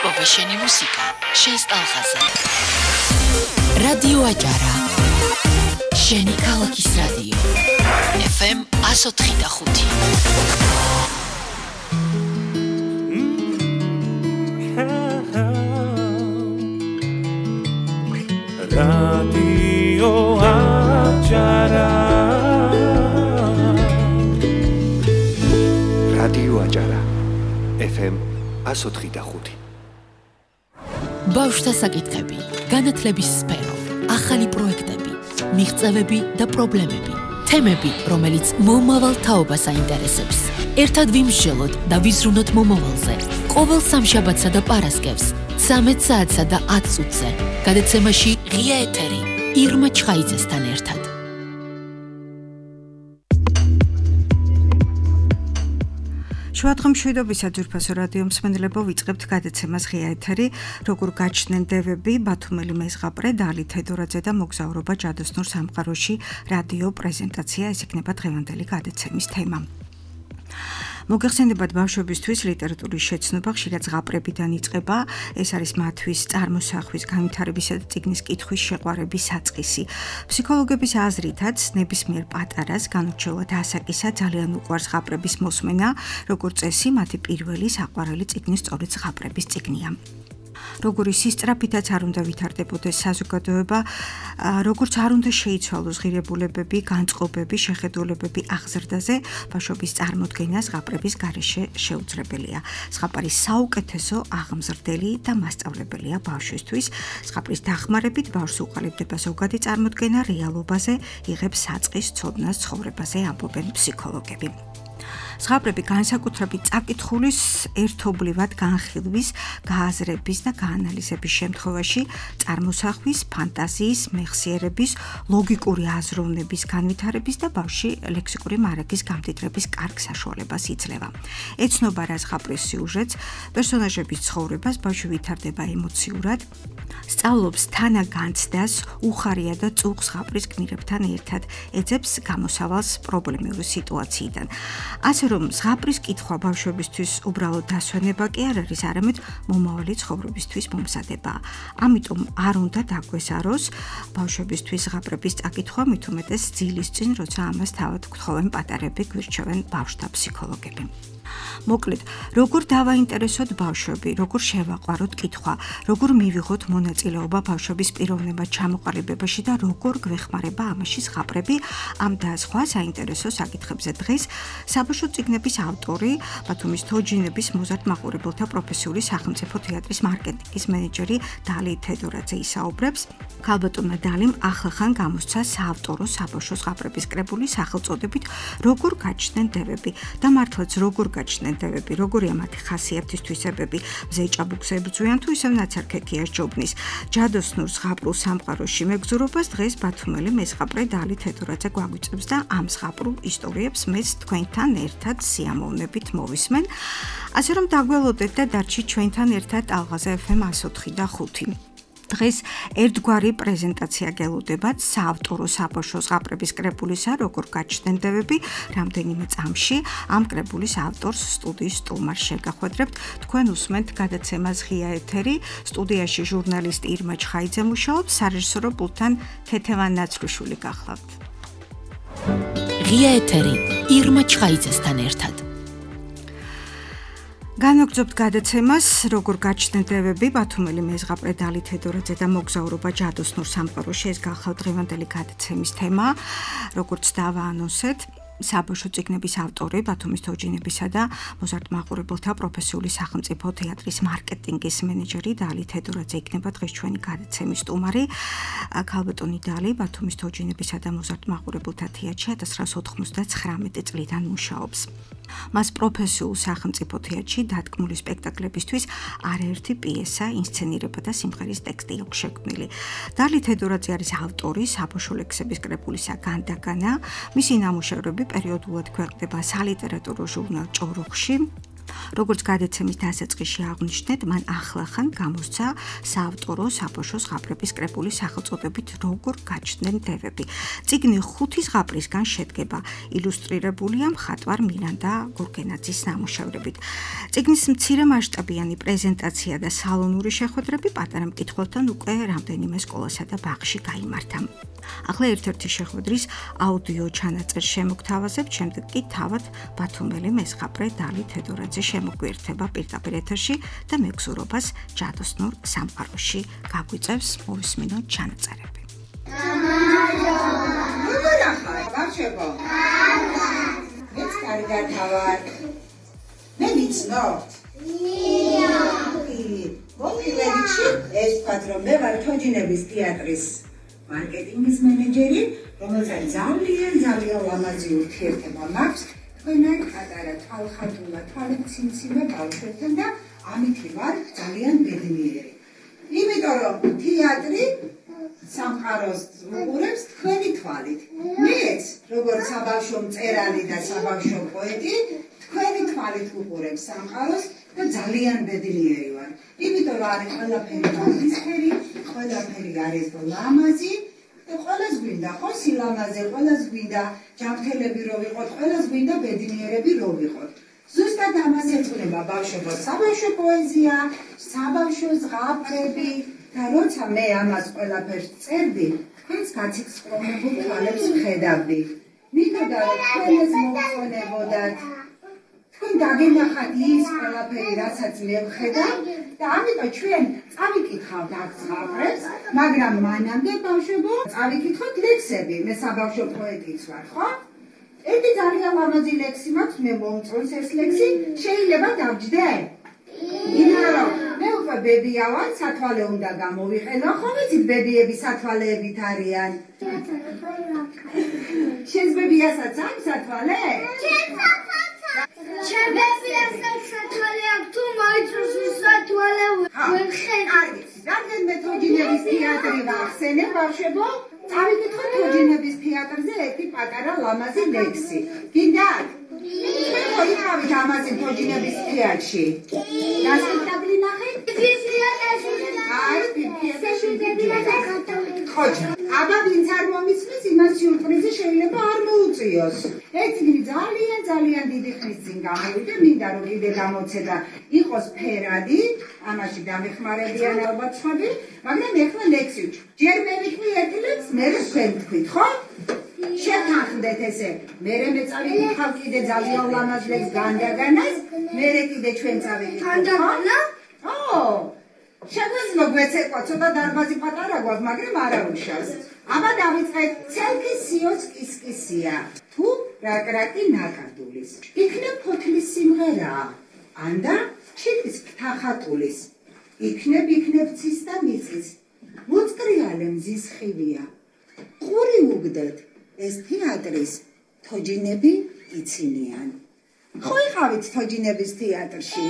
იპოვა შენი მუსიკა, შენს ტალღაზე. რადიო აჭარა. შენი ქალაქის რადიო. FM 104.5. Radio Acara. Radio Acara. FM 104.5. ბავშვთა საკითხები, განათლების სფერო, ახალი პროექტები, მიღწევები და პრობლემები, თემები, რომელიც მომავალ თაობას აინტერესებს. ერთად ვიმსჯელოთ და ვიზრუნოთ მომავალზე. ყოველ სამშაბათსა და პარასკევს 13 საათსა და 10 წუთზე. გადაცემაში ღია ეთერი ირმა ჩხაიძესთან ერთად. შუადღემშვიდობისა ძვირფასო რადიო მსმენელებო, ვიწყებთ გადაცემას ღია ეთერი, როგორ გაჩნდნენ დევები, ბათუმელი მეზღაპრე დალი თედორაძე და მოგზაურობა ჯადოსნურ სამყაროში რადიო პრეზენტაცია, ეს იქნება დღევანდელი გადაცემის თემა. მოგეხსენებათ ბავშვებისთვის ლიტერატურის შეცნობა ხშირად ზღაპრებიდან იწყება, ეს არის მათთვის წარმოსახვის, განვითარებისა და წიგნის კითხვის შეყვარების საწყისი. ფსიქოლოგების აზრითაც ნებისმიერ პატარას განურჩევლად ასაკისა ძალიან უყვარს ზღაპრების მოსმენა, როგორც წესი მათი პირველი საყვარელი წიგნი სწორედ ზღაპრების წიგნია. როგორი სისწრაფითაც არ უნდა ვითარდებოდეს საზოგადოება, როგორც არ უნდა შეიცვალოს ღირებულებები, განწყობები, შეხედულებები აღზრდაზე, ბავშვობის წარმოდგენა ზღაპრების გარეშე შეუძლებელია. ზღაპარი საუკეთესო აღმზრდელი და მასწავლებელია ბავშვისთვის. ზღაპრის დახმარებით ბავშვს უყალიბდება ზოგადი წარმოდგენა რეალობაზე, იღებს საწყის ცოდნას ცხოვრებაზე, ამბობენ ფსიქოლოგები. ზღაპრები განსაკუთრებით წაკითხulis ერთობლივად განხილვის, გააზრების და გაანალიზების შემთხვევაში წარმოსახვის, ფანტაზიის, მეხსიერების, ლოგიკური აზროვნების განვითარების და ბავშვში ლექსიკური მარაგის გამდიდრების კარგ საშუალებას იძლევა. ეცნობა რა ზღაპრის სიუჟეტს, პერსონაჟების ცხოვრებას, ბავშვი ვითარდება ემოციურად, სწავლობს თანაგანცდას, უხარია და წუხს ზღაპრის გმირებთან ერთად, ეძებს გამოსავალს პრობლემური სიტუაციიდან. ასე რომ ზღაპრის კითხვა ბავშვებისთვის უბრალოდ დასვენება კი არ არის, არამედ მომავალი ცხოვრებისთვის მომზადება. ამიტომ არ უნდა დაგვესაროს ბავშვებისთვის ზღაპრების წაკითხვა, მით უმეტეს ძილის წინ, როცა ამას თავად გთხოვენ პატარები, გვირჩევენ ბავშვთა ფსიქოლოგები. მოკლედ, როგორ დავაინტერესოთ ბავშვები, როგორ შევაყვაროთ კითხვა, როგორ მივიღოთ მონაწილეობა ბავშვების პიროვნება ჩამოყალიბებაში და როგორ გვეხმარება ამაში ზღაპრები, ამ და სხვა საინტერესო საკითხებზე დღეს საბავშვო წიგნების ავტორი, ბათუმის თოჯინების მოზარდ მაყურებელთა პროფესიული სახელმწიფო თეატრის მარკეტინგის მენეჯერი დალი თედორაძე ისაუბრებს. ქალბატონმა დალიმ ახლახან გამოსცა საავტორო საბავშვო ზღაპრების კრებული სახელწოდებით როგორ გაჩნდნენ დევები და მართლაც როგორ გაჩნდნენ დევები, როგორია მათი ხასიათის თვისებები, მზეჭაბუქს ებრძვიან თუ ისევ ნაცარქექიას ჯობნის. ჯადოსნურ ზღაპრულ სამყაროში მეგზურობას დღეს ბათუმელი მეზღაპრე დალი თედორაძე გვაგვიწევს და ამ ზღაპრულ ისტორიებს მეც თქვენთან ერთად სიამოვნებით მოვისმენ. ასე რომ დაგველოდეთ და დარჩით ჩვენთან ერთად ტალღაზე FM 104.5. დღეს ერთგვარი პრეზენტაცია გელოდებათ საავტორო საბავშვო ზღაპრების კრებულისა, როგორ გაჩნდნენ დევები, რამდენიმე წამში ამ კრებულის ავტორს სტუდიის სტუმარს შეგახვედრებთ. თქვენ უსმენთ გადაცემას ღია ეთერი, სტუდიაში ჟურნალისტი ირმა ჩხაიძე მუშაობს, სარეჟისორო პულტთან თეთევან ნაცრუშვილი გახლავთ. ღია ეთერი ირმა ჩხაიძესთან ერთად. განვაგრძობთ გადაცემას, როგორ გაჩნდნენ დევები, ბათუმელი მეზღაპრე დალი თედორაძე და მოგზაურობა ჯადოსნურ სამყაროში, ეს გახლავთ დღევანდელი გადაცემის თემა, როგორც დავაანონსეთ. საბავშვო წიგნების ავტორი, ბათუმის თოჯინებისა და მოზარდ მაყურებელთა პროფესიული სახელმწიფო თეატრის მარკეტინგის მენეჯერი დალი თედორაძე იქნება დღეს ჩვენი გადაცემის სტუმარი. ქალბატონი დალი ბათუმის თოჯინებისა და მოზარდ მაყურებელთა თეატრში 1999 წლიდან მუშაობს. მას პროფესიულ სახელმწიფო თეატრში დადგმული სპექტაკლებისთვის არაერთი პიესა, ინსცენირება და სიმღერის ტექსტი აქვს შექმნილი. დალი თედორაძე არის ავტორი საბავშვო ლექსების კრებულისა განდაგანა. მისი ნამუშევრები პერიოდულად ქვეყნდება სალიტერატურო ჟურნალ ჭოროხში. როგორც გადაცემის დასაწყისში აღვნიშნეთ, მან ახლახან გამოსცა საავტორო საბავშვო ზღაპრების კრებულის სახელწოდებით როგორ გაჩნდნენ დევები. წიგნი 5 ზღაპრისგან შედგება, ილუსტრირებულია მხატვარ მილანდა გურგენაძის ნამუშევრებით. წიგნის მცირე მასშტაბიანი პრეზენტაცია და სალონური შეხვედრები პატარა მკითხველთან უკვე რამდენიმე სკოლასა და ბაღში გაიმართა. ახლა ერთ-ერთი შეხვედრის აუდიო ჩანაწერს შემოგთავაზებთ, შემდეგ კი თავად ბათუმელი მეზღაპრე დალი თედორაძე შემოგვიერთება პირდაპირ ეთერში და მეგზურობას ჯადოსნურ სამყაროში გაგვიწევს. მოვისმინოთ ჩანაწერები. ბავშვებო, მეც კარგად ვარ. მე ვიცნობთ? მოგილეჩი, ეს ვთქვათ, რომ მე ვარ თოჯინების თეატრის მარკეტინგის მენეჯერი, რომელსაც ძალიან ლამაზი ურთიერთობა მაქვს თქვენთან პატარა თვალხატულა თვალცინციმე ბავშვებთან და ამით ვარ ძალიან ბედნიერი. იმიტომ რომ თეატრი სამყაროს უყურებს თქვენი თვალით. მეც, როგორც საბავშვო მწერალი და საბავშვო პოეტი, თქვენი თვალით უყურებს სამყაროს და ძალიან ბედნიერი ვარ. იმიტომ რომ არის ყველაფერი ნებისმიერი, ყველაფერი არის ლამაზი და ყველას გვინდა ხო სილამაზე, ყველას გვინდა ჯანმრთელები რო ვიყოთ, ყველას გვინდა ბედნიერები რო ვიყოთ. ზუსტად ამას ეძღვნება ბავშვებო საბავშვო პოეზია, საბავშვო ზღაპრები და როცა მე ამას ყველაფერს წერდი, თქვენს გაცილწყრომებულ თვალებს ვხედავდი. მინდოდა რომ თქვენ ეს მოგწონებოდათ. თქვენ დაგენახათ ის ყველაფერი, რასაც მე ვხედავ და ამიტომ ჩვენ წავიკითხავთ აქ ზღაპრებს, მაგრამ მანამდე ბავშვებო წავიკითხოთ ლექსები. მე საბავშვო პოეტიც ვარ, ხო? ერთი ძალიან ლამაზი ლექსი მაქვს, მე მომწონს ეს ლექსი, შეიძლება დავჯდე? იმიტომ მე უკვე ბებია ვარ, სათვალე უნდა გამოვიყენო, ხო ვიცით ბებიები სათვალეებით არიან. შენს ბებიასაც აქვს სათვალე? ჩემ ბებიასაც სათვალე აქვს, თუ მოიწონს სათვალე ვხედავ. რადგან მე თოჯინების თეატრი ვახსენებ ბავშვებო, წავიკითხოთ თოჯინების თეატრზე ერთი პატარა ლამაზი ლექსი. გინდათ? თქვენ ხო იყავით ამაზე თოჯინების თეატრში? და სპექტაკლი ნახეთ? ხოჯა, აბა ვინც არ მომიცნეს, იმას სიურპრიზი შეიძლება არ მოუწიოს. ეს წიგნი ძალიან დიდი ხნის წინ გამოვიდა, მინდა რომ კიდე გამოცედა იყოს ფერადი, ამაში დამეხმარებიან ალბათ სხვები, მაგრამ ეხლა ლექსი ვჩ. ჯერ მე ვიტყვი ერთ ლექსს, მერე თქვენ თქვით, ხო? შეთანხმდეთ ესე. მერე მე წავიკითხავ კიდე ძალიან ლამაზ ლექსს განდაგანას, მერე კიდე ჩვენ წავიკითხავთ. განდაგანა? ო! შეგვიძლია გვეცეკვა, ცოტა დარბაზი პატარა გვაქვს, მაგრამ არა უშავს. აბა დავიწყეთ, ცელქი სიოს კისკისია, თუ რაკრაკი ნაკადულის. იქნებ ფოთლის სიმღერაა, ანდა ჩიტის ფთახატულის. იქნებ ცის და მიწის, მოწკრიალე მზის ხივია. ყური უგდეთ, ეს თეატრის თოჯინები იცინიან. ხო იყავით თოჯინების თეატრში?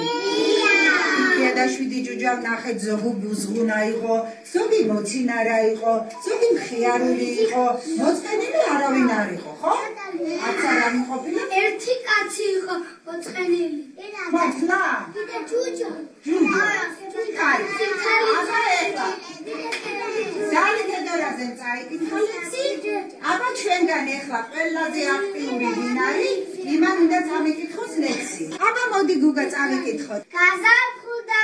და 7 ჯუჯა ნახეთ, ზოგი ბუზღუნა იყო, ზოგი მოცინარა იყო, ზოგი მხიარული იყო, მოწყენილი არავინ არ იყო, ხო? არც არ ამიყოფილა? ერთი კაცი იყო მოწყენილი. მართლა? კიდე ჯუჯა. კაცი. აბა ეხლა. დალი თედორაძე წაიკითხა ლექსი. აბა ჩვენგან ეხლა ყველაზე აქტიური ვინ არის? იმან უნდა წავიკითხოს ლექსი. აბა მოდი გუგა წავიკითხოთ. გაზაფხულდა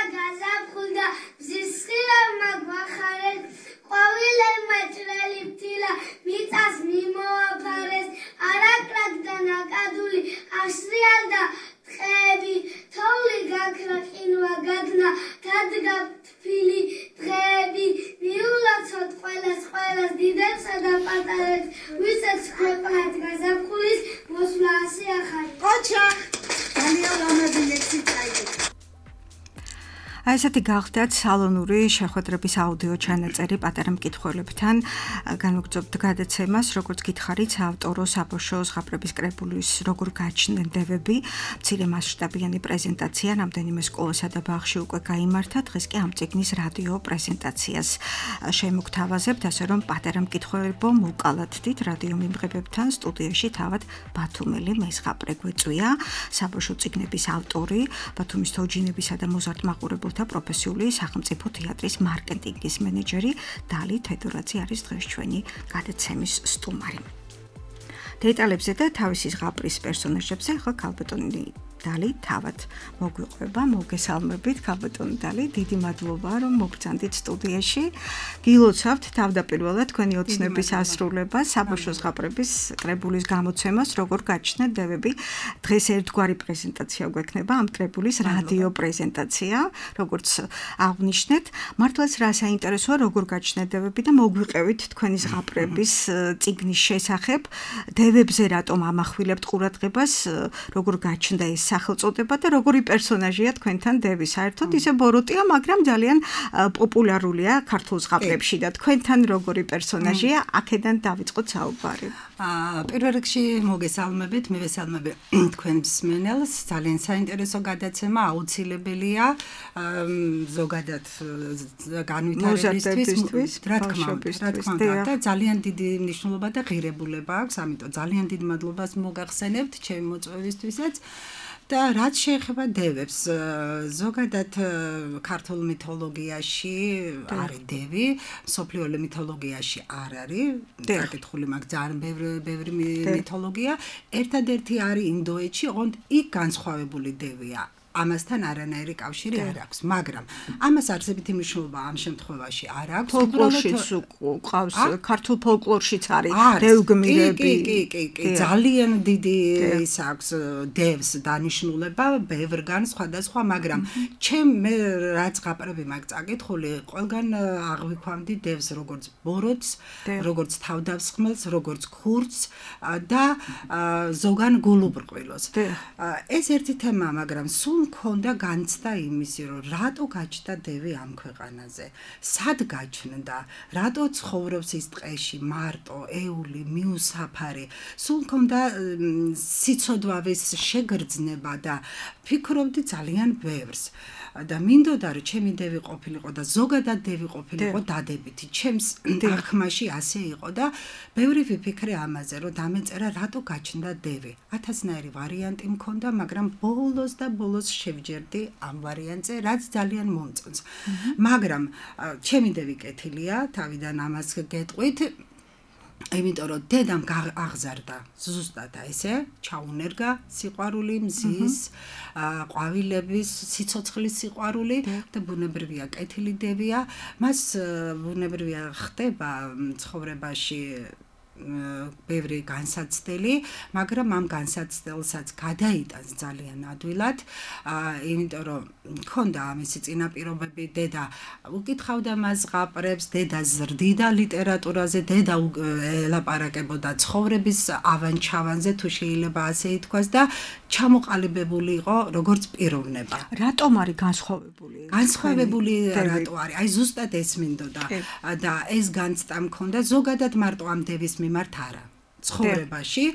მზის ხილავმა გვახარეს, ყვავილებმა ჭრელი ფთილა მიწას მიმოაფარეს, არაკრაკ და ნაკადული აღსრიალდა ტყეები, თოვლი გაქრა ყინვა გაგნა, დადგა თბილი დღეები, მიულოცოთ ყველას დიდებსა და პატარებს, ვისაც ქვეყნად გაზაფხულის მოსვლა ასე ახალი. ყოჩა, ძალიან ლამაზი ლექსი წაიკითხა. ესეთი გახდათ სალონური შეხვედრების აუდიო ჩანაწერი პატარა მკითხველებთან. განვაგრძობთ გადაცემას, როგორც გითხარით, ავტორო საბავშვო ზღაპრების კრებულის როგორ გაჩნდნენ დევები, მცირე მასშტაბიანი პრეზენტაცია რამდენიმე სკოლასა და ბაღში უკვე გაიმართა, დღეს კი ამ წიგნის რადიო პრეზენტაციას შემოგთავაზებთ, ასე რომ პატარა მკითხველებო მოვკალათდით რადიო მიმღებებთან სტუდიაში თავად ბათუმელი მეზღაპრე გვეწვია, საბავშვო წიგნების ავტორი, ბათუმის თოჯინებისა და მოზარდ მაყურებელთა პროფესიული სახელმწიფო თეატრის მარკეტინგის მენეჯერი დალი თედორაძე არის დღეს ჩვენი გადაცემის სტუმარი. დეტალებზე და თავისი ზღაპრის პერსონაჟებზე ახლა ქალბატონი დალი თავად მოგვიყვება, მოგესალმებით ქალბატონი დალი, დიდი მადლობა რომ მოგბრძანდით სტუდიაში. გილოცავთ თავდაპირველად თქვენი ოცნების ასრულებას, საბავშვო ზღაპრების კრებულის გამოცემას, როგორ გაჩნდა დევები. დღეს ერთგვარი პრეზენტაცია გვექნება ამ კრებულის რადიო პრეზენტაცია, როგორც აღნიშნეთ. მართლაც რა საინტერესოა, როგორ გაჩნდა დევები და მოგვიყევით თქვენი ზღაპრების წიგნის შესახებ, დევებზე რატომ ამახვილებთ ყურადღებას, როგორ გაჩნდა ეს სახელწოდება და როგორი პერსონაჟია თქვენთან დევი. საერთოდ ისე ბოროტია, მაგრამ ძალიან პოპულარულია ქართულ ზღაპრებში და თქვენთან როგორი პერსონაჟია, აქედან დავიწყოთ საუბარი. პირველ რიგში მოგესალმებით, მივესალმები თქვენ მსმენელს. ძალიან საინტერესო გადაცემა, აუცილებელია ზოგადად განვითარებისთვის, რა თქმა უნდა, და ძალიან დიდი მნიშვნელობა და ღირებულება აქვს, ამიტომ ძალიან დიდ მადლობას მოგახსენებთ ჩემი მოწვევისთვისაც. და რაც შეეხება დევებს, ზოგადად ქართულ მითოლოგიაში არის დევი, მსოფლიო მითოლოგიაში არ არის, საკითხული მაქვს ძალიან ბევრი მითოლოგია, ერთადერთი არის ინდოეთში, ოღონდ იქ განსხვავებული დევია. ამასთან არანაირი კავშირი არ აქვს, მაგრამ ამას არსებითი მნიშვნელობა ამ შემთხვევაში არ აქვს. ფოლკლორშიც ყავს, ქართულ ფოლკლორშიც არის დევგმირები. კი, ძალიან დიდი ის აქვს დევს დანიშნულება, ბევრგან სხვადასხვა, მაგრამ მე რაც ზღაპრები მაქვს წაკითხული, ყველგან აღვიქვამდი დევს როგორც ბოროტს, როგორც თავდავსხმელს, როგორც ქურდს და ზოგან გულუბრყვილოს. ეს ერთი თემაა, მაგრამ სულ მქონდა განცდა იმისი, რომ რატო გაჩნდა დევი ამ ქვეყანაზე, სად გაჩნდა, რატო ცხოვრობს ის ტყეში მარტო, ეული, მიუსაფარი, სულ მქონდა სიცოდვავის შეგრძნება და ფიქრობდი ძალიან ბევრს. და მინდოდა რომ ჩემი დევი ყოფილიყო და ზოგადად დევი ყოფილიყო დადებითი. ჩემს აღქმაში ასე იყო და ბევრი ვიფიქრე ამაზე, რომ დამეწერა რატო გაჩნდა დევი. 1000-ნაირი ვარიანტი მქონდა, მაგრამ ბოლოს შევჯერდი ამ ვარიანტზე, რაც ძალიან მომწონს. მაგრამ ჩემი დევი კეთილია, თავიდან ამას გეტყვით. იმიტომ რომ დედამ აღზარდა ზუსტად ესე, ჩაუნერგა სიყვარული, მზის, ყვავილების, სიცოცხლის სიყვარული და ბუნებრივია კეთილი დევია. მას ბუნებრივია ხდება ცხოვრებაში ბევრი განსაცდელი, მაგრამ ამ განსაცდელსაც გადაიტანს ძალიან ადვილად, იმიტომ რომ მქონდა ამისი წინაპირობები, დედა უკითხავდა მას ზღაპრებს, დედა ზრდიდა ლიტერატურაზე, დედა ელაპარაკებოდა ცხოვრების ავანჩავანზე, თუ შეიძლება ასე ითქვას და ჩამოყალიბებული იყო როგორც პიროვნება. რატომ არის განსხვავებული? განსხვავებული რატო არის? აი ზუსტად ეს მინდოდა და ეს განცდა მქონდა ზოგადად მარტო ამ დევის მიმართ არა. ცხოვრებაში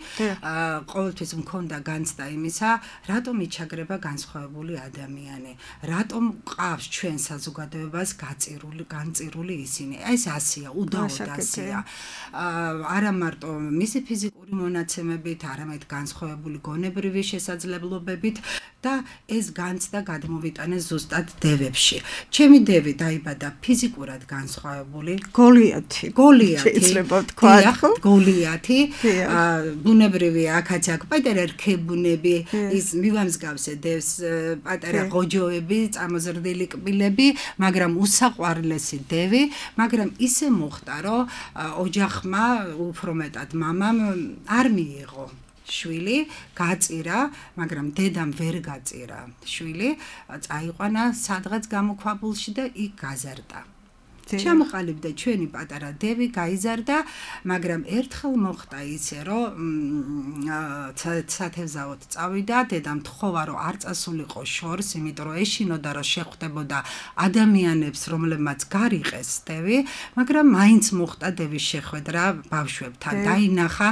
ყოველთვის მქონდა განცდა იმისა, რატომ იჩაგრება განსხვავებული ადამიანი, რატომ ყავს ჩვენ საზოგადოებას განწირული ისინი. ეს ასეა, უდაოდ ასეა. არა მარტო მისი ფიზიკური მონაცემებით, არამედ განსხვავებული გონებრივი შესაძლებლობებით და ეს განცდა გადმოვიტანეს ზუსტად დევებში. ჩემი დევი დაიბადა ფიზიკურად განსხვავებული, გოლიათი. შეიძლება ვთქვა, გოლიათი. ბუნებრივი აქაც-აქ პატარა რქებუნები, ის მივამსგავსე დევს პატარა ღოჯოები, წამოზრდილი კბილები, მაგრამ უსაყვარლესი დევი, მაგრამ ისე მოხდა, რომ ოჯახმა, უფრო მეტად მამამ არ მიიღო შვილი, გაწირა, მაგრამ დედამ ვერ გაწირა შვილი, წაიყვანა სადღაც გამოქვაბულში და იქ გაზარდა. ჩამოყალიბდა ჩვენი პატარა დევი, გაიზარდა, მაგრამ ერთხელ მოხდა ისე, რომ სათევზაოდ წავიდა, დედამ თხოვა, რომ არ წასულიყო შორს, იმიტომ რომ ეშინოდა, რომ შეხვდებოდა ადამიანებს, რომლებმაც გარიყეს დევი, მაგრამ მაინც მოხდა დევის შეხვედრა ბავშვებთან. დაინახა,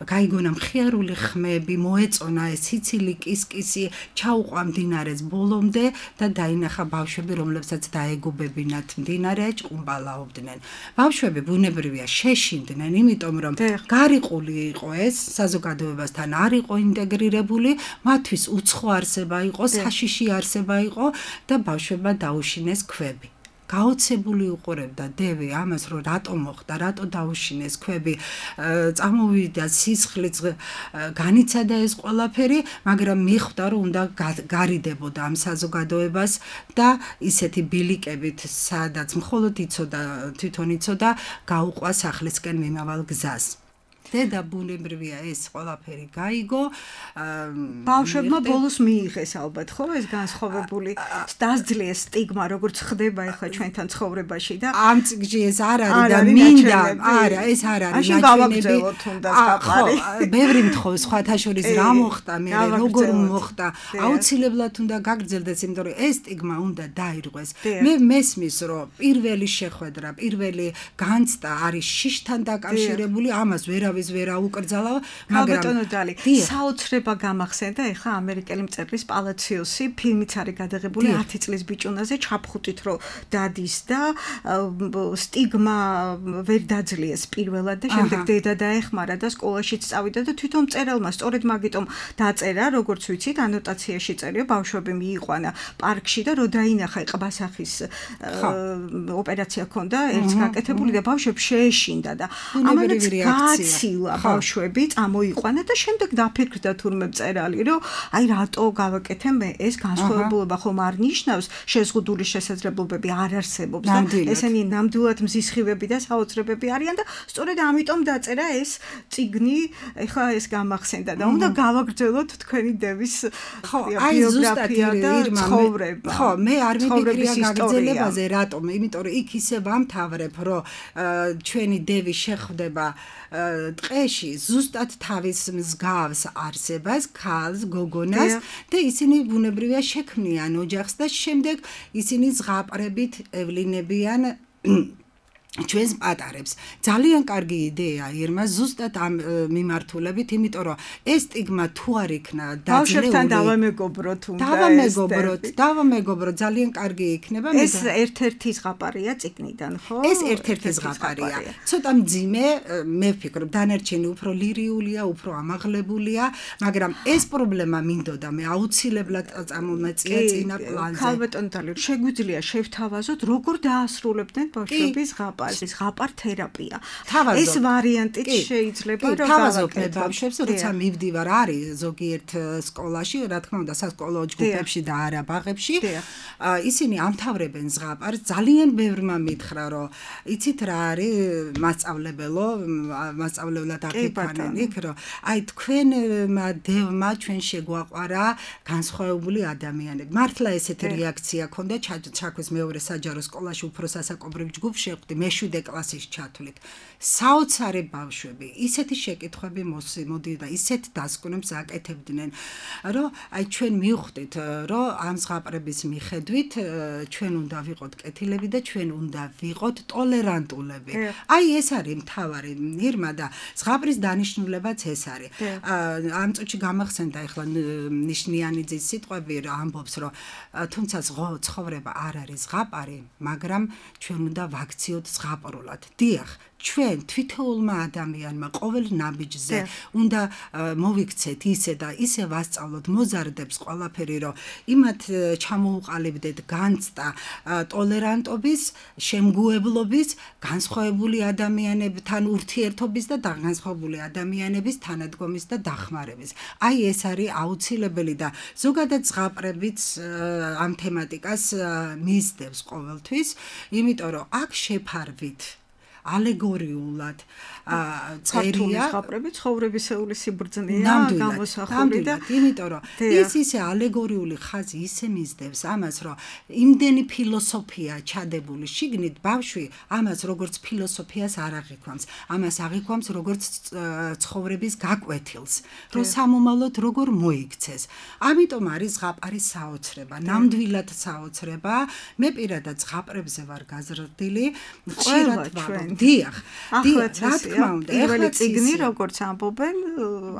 გაიგონა მხიარული ხმები, მოეწონა ეს სიცილი კისკისი, ჩაუყვა მდინარეს ბოლომდე და დაინახა ბავშვები, რომლებსაც დაეგუბებინათ მდინარე, ჭყუმბალაობდნენ. ბავშვები ბუნებრივია შეშინდნენ, იმიტომ რომ გარიყული იყო ეს, საზოგადოებასთან არ იყო ინტეგრირებული, მათთვის უცხო არსება იყო, საშიში არსება იყო და ბავშვებმა დაუშინეს ქვები. გაოცებული უყურებდა დევი ამას, რომ რატო მოხდა, რატო დაუშინეს ქვები, წამოვიდა სისხლიც, განიცადა ეს ყველაფერი, მაგრამ მიხვდა, რომ უნდა გარიდებოდა ამ საზოგადოებას და ისეთი ბილიკებით, სადაც მხოლოდ თვითონ იცოდა, გაუყვა სახლისკენ მიმავალ გზას. დედა ბუნებრივია ეს ყველაფერი გაიგო. ბავშვებმა ბოლოს მიიღეს ალბათ, ხო, ეს განსხვავებული დასძლიეს სტიგმა, როგორც ხდება ახლა ჩვენთან ცხოვრებაში და ამ წიგში ეს არ არის და მინდა, არა, ეს არ არის ნაჩვენები. ხო, ბევრი მთხოვს, სხვათა შორის რა მოხდა, მე როგორ მოხდა, აუცილებლად უნდა გაგრძელდეს, იმიტომ რომ ეს სტიგმა უნდა დაირღვეს. მე მესმის, რომ პირველი შეხვედრა, პირველი განცდა არის შიშთან დაკავშირებული, ამას ვერავის ვერ აუკრძალა, მაგრამ ბატონო დალი, საოცრება გამახსენდა ეხლა ამერიკელი მწერლის პალაციოსი, ფილმიც არის გადაღებული 10 წლის ბიჭუნაზე ჩაფხუტით, რომ დადის და სტიგმა ვერ დაძლიეს პირველად და შემდეგ დედა დაეხმარა და სკოლაშიც წავიდა და თვითონ მწერალმა სწორედ მაგიტომ დაწერა, როგორც ვიცით, ანოტაციაში წერია, ბავშვები მიიყვანა პარკში და რო დაინახა ყბასახის ოპერაცია ჰქონდა, ერთს გაკეთებული და ბავშვებს შეეშინდა და ამანაც ბავშვები წამოიყვანა და შემდეგ დაფიქრდა თურმე მწერალი, რომ აი რატო გავაკეთე მე ეს განსხვავებულობა ხომ არ ნიშნავს შეზღუდული შესაძლებლობები არ არსებობს და ესენი ნამდვილად მზისხივები და საოცრებები არიან და სწორედ ამიტომ დაწერა ეს წიგნი, ეხლა ეს გამახსენდა და უნდა გავაგრძელოთ თქვენი დევის ბიოგრაფია და ცხოვრება. ხო, მე არ მიფიქრია გაგრძელებაზე, რატომ? იმიტომ რომ იქ ისე ვამთავრებ, რომ ჩვენი დევი შეხვდება ტყეში ზუსტად თავის მსგავს არსებას, ქალს, გოგონას და ისინი ბუნებრივია შექმნიან ოჯახს და შემდეგ ისინი ზღაპრებით ევლინებიან ჩვენს პატარებს. ძალიან კარგი იდეა ირმა ზუსტად ამ მიმართულებით, იმიტომ რომ ეს სტიგმა თუ არ იქნა ბავშვებთან დავამეგობროთ უნდა დავამეგობროთ ძალიან კარგი იქნება. ეს ერთ-ერთი ზღაპარია წიგნიდან, ხო? ეს ერთ-ერთი ზღაპარია. ცოტა მძიმე, მე ვფიქრობ, დანარჩენი უფრო ლირიულია, უფრო ამაღლებულია, მაგრამ ეს პრობლემა მინდოდა მე აუცილებლად წამომეწია წინა პლანზე. ქალბატონ დალი, შეგვიძლია შევთავაზოთ, როგორ დაასრულებდნენ ბავშვების ზღაპარს. ზღაპარ თერაპია. ეს ვარიანტიც შეიძლება რომ გავაკეთოთ ბავშვებს, როცა მივდივარ არის ზოგიერთ სკოლაში, რა თქმა უნდა, სასკოლო ჯგუფებში და არა ბაღებში, ისინი ამთავრებენ ზღაპარს. ძალიან ბევრმა მითხრა, რომ იცით რა არის მასწავლებლად აფიქრნენ იქ, რომ აი თქვენმა დევმა ჩვენ შეგვაყვარა განსხვავებული ადამიანები. მართლა ესეთი რეაქცია ქონდა ჩაქვის მეორე საჯარო სკოლაში უფრო სასაკობრივ ჯგუფში შეხვდი მეშვიდე კლასის ჩათვლით. საოცარი ბავშვები, ისეთი შეკითხვები მოდიდა, ისეთ დასკვნებს აკეთებდნენ, რომ აი ჩვენ მივხვდით, რომ ამ ზღაპრების მიხედვით ჩვენ უნდა ვიყოთ კეთილები და ჩვენ უნდა ვიყოთ ტოლერანტულები. აი ეს არის მთავარი ირმა და ზღაპრის დანიშნულებაც ეს არის. ამ წუთში გამახსენდა ახლა ნიშნიანიძის სიტყვები, რომ ამბობს, რომ თუმცა ცხოვრება არ არის ზღაპარი, მაგრამ ჩვენ უნდა ვაქციოთ ზღაპრულად. დიახ, ჩვენ თვითოულმა ადამიანმა ყოველ ნაბიჯზე უნდა მოვიქცეთ ისე და ისე ვასწავლოთ მოზარდებს ყველაფერი, რომ იმათ ჩამოუყალიბდეთ განცდა ტოლერანტობის, შემგუებლობის, განსხვავებული ადამიანებთან ურთიერთობის და განსხვავებული ადამიანების თანადგომის და დახმარების. აი ეს არის აუცილებელი და ზოგადად ზღაპრებიც ამ თემატიკას მისდევს ყოველთვის, იმიტომ რომ აქ შეფარვით ალეგორიულად ქართული ზღაპრები ცხოვრებისეული სიბრძნეა გამოსახული და იმიტომ რომ ის ისე ალეგორიული ხაზი ისე მისდევს ამას რომ იმდენი ფილოსოფია ჩადებული შიგნით ბავშვი ამას როგორც ფილოსოფიას არ აღიქვამს ამას აღიქვამს როგორც ცხოვრების გაკვეთილს რომ სამომავლოდ როგორ მოიქცეს ამიტომ არის ზღაპარის საოცრება ნამდვილად საოცრება მე პირადად ზღაპრებზე ვარ გაზრდილი ხშირად ვამბობ ახლა რა უნდა პირველი წიგნი როგორც ამბობენ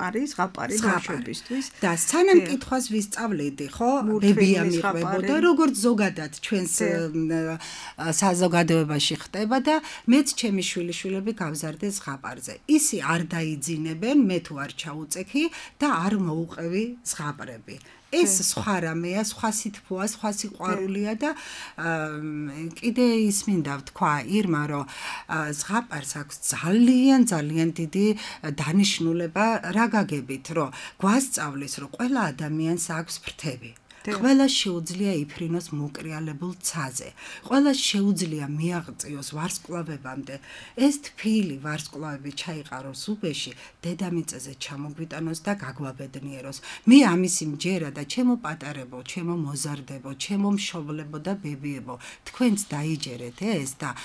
არის ზღაპარი ბავშვებისთვის და სანამ კითხვას ვისწავლედი ხო ბებია მიყვებოდა როგორც ზოგადად ჩვენს საზოგადოებაში ხდება და მეც ჩემი შვილიშვილები გავზარდე ზღაპარზე ისი არ დაიძინებენ მე თუ არ ჩაუწექი და არ მოუყევი ზღაპრები ეს სხვა რამეა, სხვა სითბოა, სხვა სიყვარულია და კიდე ის მინდა ვთქვა ირმა, რომ ზღაპარს აქვს ძალიან დიდი დანიშნულება რა გაგებით, რომ გვასწავლის, რომ ყველა ადამიანს აქვს ფრთები. ყველა შეუძლია იფრინოს მოკრიალებულ ცაზე. ყველა შეუძლია მიაღწიოს ვარსკვლავებამდე. ეს თბილი ვარსკვლავები ჩაიყაროს უბეში, დედამიწაზე ჩამოგვიტანოს და გაგვაბედნიეროს. მე ამისი მჯერა და ჩემო პატარებო, ჩემო მოზარდებო, ჩემო მშობლებო და ბებიებო, თქვენც დაიჯერეთ ეს და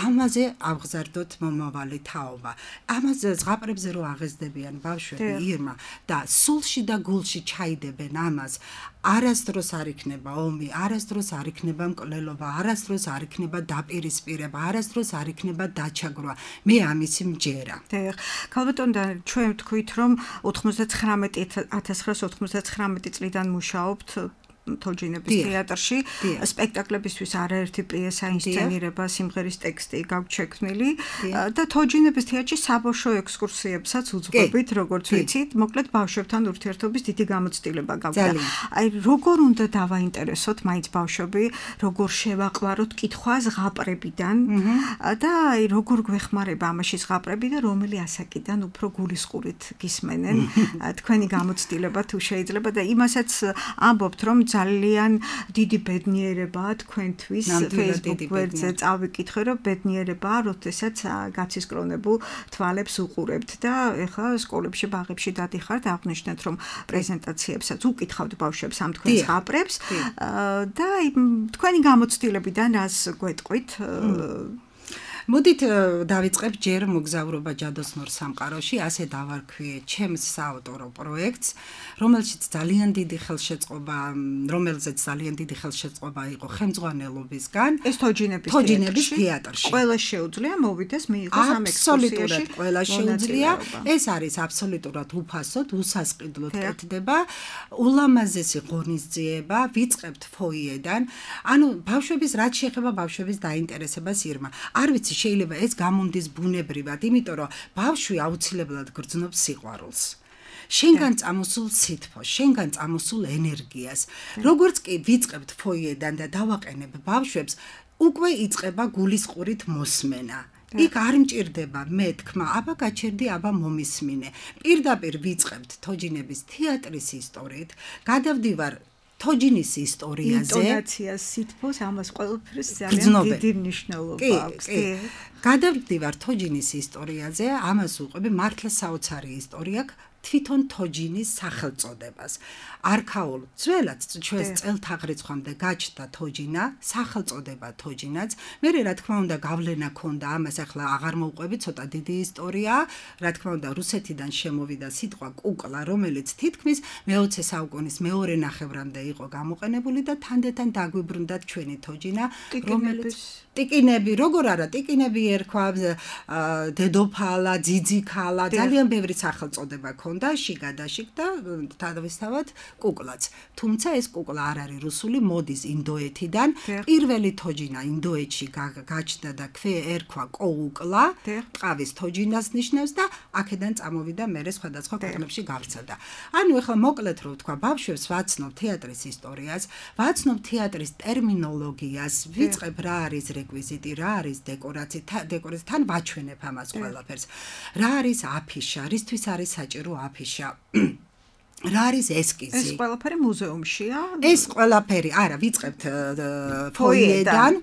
ამაზე ავღზარდოთ მომავალი თაობა. ამაზე ზღაპრებზე რო აღეზდებიან ბავშვები ირმა და სულში და გულში ჩაიდებენ ამას. არასდროს არ იქნება ომი, არასდროს არ იქნება მკვლელობა, არასდროს არ იქნება დაპირისპირება, არასდროს არ იქნება დაჩაგვრა. მე ამისი მჯერა. ქალბატონო, ჩვენ ვთქვით, რომ 1999 წლიდან მუშაობთ თოჯინების თეატრში სპექტაკლებისთვის არაერთი პიესა ინსცენირება სიმღერის ტექსტი გაგვჩექმნილი და თოჯინების თეატრში საბავშვო ექსკურსიებსაც უძღვებით როგორც ვიცით მოკლედ ბავშვებთან ურთიერთობის დიდი გამოცდილება გაგვდა აი როგორ უნდა დავაინტერესოთ მაინც ბავშვები როგორ შევაყვაროთ კითხვა ზღაპრებიდან და აი როგორ გვეხმარება ამაში ზღაპრები და რომელი ასაკიდან უფრო გულისყურით გისმენენ თქვენი გამოცდილება თუ შეიძლება და იმასაც ამბობთ რომ ძალიან დიდი ბედნიერებაა თქვენთვის Facebook გვერდზე წავიკითხე რომ ბედნიერებაა როდესაც გაცისკრონებულ თვალებს უყურებთ და ეხლა სკოლებში ბაღებში დადიხართ აღნიშნეთ რომ პრეზენტაციებსაც უკითხავთ ბავშვებს ამ თქვენ ზღაპრებს და თქვენი გამოცდილებიდან რას გვეტყვით მოდით დავიწყებ ჯერ მოგზაურობა ჯადოსნურ სამყაროში, ასე დავარქვიე ჩემს საავტორო პროექტს, რომელშიც ძალიან დიდი ხელშეწყობა იყო ხელმძღვანელობისგან. ეს თოჯინების თეატრში. ყველა შეუძლია მოვიდეს მიიღოს ამ ექსკურსიაში. ყველა შეუძლია. ეს არის აბსოლუტურად უფასოდ, უსასყიდლოდ კეთდება. ულამაზესი ღონისძიება, ვიწყებთ ფოიედან. ანუ ბავშვების რაც შეეხება ბავშვების დაინტერესებას ირმა. არ ვიცი შეიძლება ეს გამომდის ბუნებრივად, იმიტომ რომ ბავშვი აუცილებლად გრძნობს სიყვარულს. შენგან წამოსულ სითბოს, შენგან წამოსულ ენერგიას. როგორც კი ვიწყებთ ფოიედან და დავაყენებ ბავშვებს, უკვე იწყება გულისყურით მოსმენა. იქ არ მჭირდება მე თქმა, აბა გაჩერდი, აბა მომისმინე. პირდაპირ ვიწყებთ თოჯინების თეატრის ისტორიით, გადავდივარ თოჯინის ისტორიაზე, ინტონაციას, სითბოს, ამას ყველაფერს ძალიან დიდი მნიშვნელობა აქვს. გადავდივარ თოჯინის ისტორიაზე, ამას უყვები მართლა საოცარი ისტორია თვითონ თოჯინის სახელწოდებას. არქაულ ძველად ჩვენს წელთაღრიცხვამდე გაჩნდა თოჯინა, სახელწოდება თოჯინაც. მე რა თქმა უნდა გავლენა ქონდა ამას, ახლა აღარ მოვყვები, ცოტა დიდი ისტორიაა. რა თქმა უნდა რუსეთიდან შემოვიდა სიტყვა კუკლა, რომელიც თითქმის მე-20 საუკუნის მეორე ნახევრამდე იყო გამოყენებული და თანდათან დაგვიბრუნდა ჩვენი თოჯინა, რომელიც ტიკინები, როგორ არა, ტიკინები ერქვა, დედოფალა, ძიძიქალა, ძალიან ბევრი სახელწოდება ქონდა, შიგადაშიგ და თავისთავად კუკლაც. თუმცა ეს კუკლა არ არის რუსული, მოდის ინდოეთიდან. პირველი თოჯინა ინდოეთში გაჩნდა და ერქვა კოუკლა, ტყავის თოჯინას ნიშნავს და აქედან წამოვიდა მერე სხვადასხვა ქვეყნებში გავრცელდა. ანუ ეხლა მოკლედ რო ვთქვა, ბავშვებს ვაცნობ თეატრის ისტორიას, ვაცნობ თეატრის ტერმინოლოგიას, ვიწყებ რა არის რეკვიზიტი, რა არის დეკორაცია, თან ვაჩვენებ ამას ყველაფერს. რა არის აფიშა, რისთვის არის საჭირო აფიშა. რა არის ესკიზი? ეს ყველაფერი მუზეუმშია? ეს ყველაფერი, არა, ვიწყებთ ფოიედან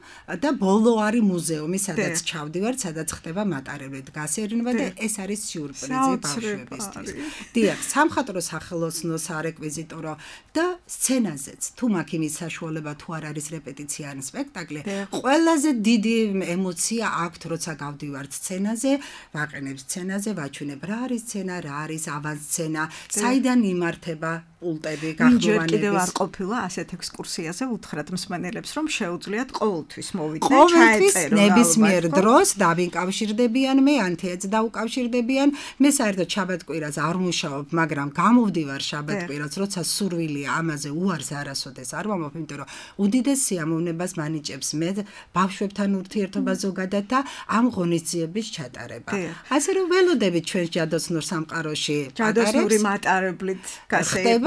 და ბოლო არის მუზეუმი, სადაც ჩავდივართ, სადაც ხდება მატარებლი გასერნება და ეს არის სიურპრიზი ბავშვებისთვის. დიახ, სამხატვრო სახელოსნო სარეკვიზიტორო და სცენაზეც, თუ მაქვს იმის საშუალება თუ არ არის რეპეტიცია ან სპექტაკლი, ყველაზე დიდი ემოცია აქვთ, როცა გავდივართ სცენაზე, ვაყენებ სცენაზე, ვაჩვენებ რა არის სცენა, რა არის ავანსცენა, საიდან იმართება პულტები გახმოვანების. ჯერ კიდევ არ ყოფილა ასეთ ექსკურსიაზე უთხრათ მსმენელებს, რომ შეუძლიათ ყოველთვის მოვიდნენ, ყოველთვის ჩაეწერო ნებისმიერ დროს დავიკავშირდებიან მე, ან თეატრს დავუკავშირდებიან. მე საერთოდ შაბათ-კვირას არ მუშაობ, მაგრამ გამოვდივარ შაბათ-კვირას, როცა სურვილია ამაზე უარს არასოდეს არ ვამბობ, იმიტომ რომ უდიდეს სიამოვნებას მანიჭებს მე ბავშვებთან ურთიერთობა ზოგადად და ამ ღონისძიების ჩატარება. ასე რომ ველოდებით ჩვენს ჯადოსნურ სამყაროში ჯადოსნური მატარებლით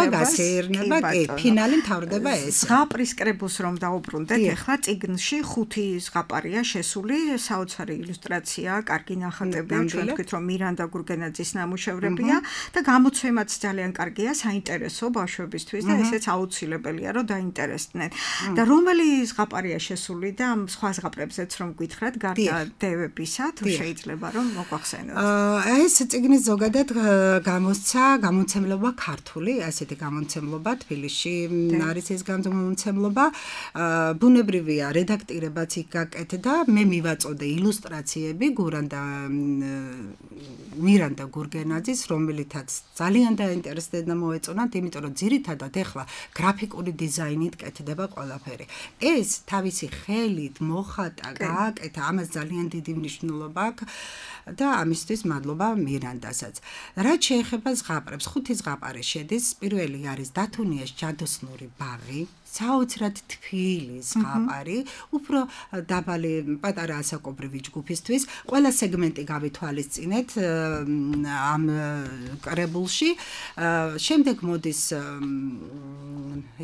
გასეირნება, კი, ფინალი მთავრდება ეს. ზღაპრის კრებულს რომ დაუბრუნდეთ, ეხლა წიგნში 5 ზღაპარია შესული, საოცარი ილუსტრაცია, კარგი ნახატები, ჩვენ ვთქვით რომ მირანდა გურგენაძის ნამუშევრებია და გამოცემაც ძალიან კარგია, საინტერესო ბავშვებისთვის და ესეც აუცილებელია რომ დაინტერესდნენ. და რომელი ზღაპარია შესული და სხვა ზღაპრებზეც რომ გითხრათ, გარდა დევებისა, თუ შეიძლება რომ მოგვახსენოთ. ეს წიგნის ზოგადად გამოსცა გამოცემლობა ქართული, ასეთი გამოცემლობა თბილისში არის ეს გამოცემლობა. ბუნებრივია, რედაქტირებაც იქ გაკეთდა, მე მივაწოდე ილუსტრაციები მირანდა გურგენაძის, რომელითაც ძალიან დაინტერესდა და მოეწონათ, იმიტომ რომ ძირითადად ეხლა გრაფიკული დიზაინით კეთდება ყველაფერი. ეს თავისი ხელით მოხატა, გააკეთა, ამას ძალიან დიდი მნიშვნელობა აქვს და ამისთვის მადლობა მირანდასაც. რაც შეეხება ზღაპრებს, 5 ზღაპარი შედის. პირველი არის დათუნიას ჯადოსნური ბაღი, საოცრად თბილი ზღაპარი, უფრო დაბალი პატარა ასაკობრივი ჯგუფისთვის. ყველა სეგმენტი გავითვალისწინეთ ამ კრებულში. შემდეგ მოდის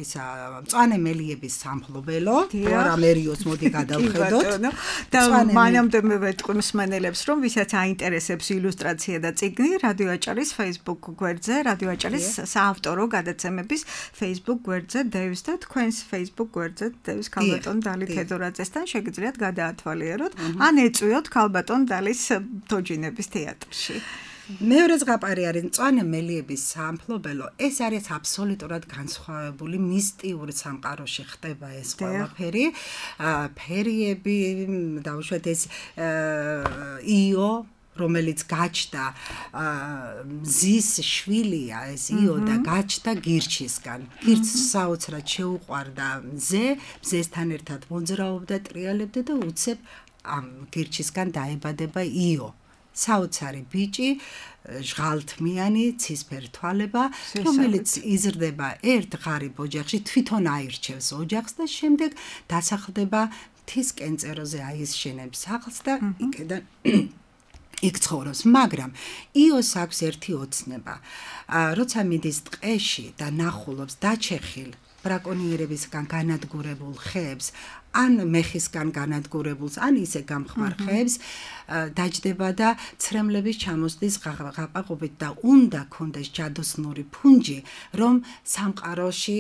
ისა მწვანე მელიების სამფლობელო, პარამერიოს მოდი გადავხედოთ. და მანამდე მე ვეთქვი მსმენელებს, რომ ვისაც აინტერესებს ილუსტრაცია და წიგნი, რადიო აჭარის Facebook გვერდზე, რადიო აჭარის საავტორო გადაცემების Facebook გვერდზე დევს და თქვენს Facebook გვერდზე დევს ქალბატონ დალი თედორაძესთან შეგიძლიათ გადაათვალიეროთ, ან ეწვიოთ ქალბატონ დალის თოჯინების თეატრში. მეორე ზღაპარი არის მწვანე მელიების სამფლობელო. ეს არის აბსოლუტურად განსხვავებული მისტიური სამყაროში ხდება ეს ყველაფერი. ფერიები, დავუშვათ ეს იო, რომელიც გაჩნდა მზის შვილია ეს იო და გაჩნდა გირჩისგან. გირჩს საოცრად შეუყვარდა მზე, მზესთან ერთად მოძრაობდა, ტრიალებდა და უცებ ამ გირჩისგან დაებადება იო. საოცარი ბიჭი, ჟღალთმიანი, ცისფერ თვალება, რომელიც იზრდება ერთ ღარიბ ოჯახში, თვითონ აირჩევს ოჯახს და შემდეგ დასახლდება მთის კენწეროზე, აისშენებს სახლს და იქიდან იქ ცხოვრობს, მაგრამ იოს აქვს ერთი ოცნება. როცა მიდის ტყეში და ნახულობს დაჩეხილ ბრაკონიერებისგან განადგურებულ ხეებს, ან მეხისგან განადგურებულს, ან ისე გამხმარ ხეებს, დაჯდება და ცრემლების ჩამოსდის გაყაყობით და უნდა კონდეს ჯადოსნური ფუნჯი, რომ სამყაროში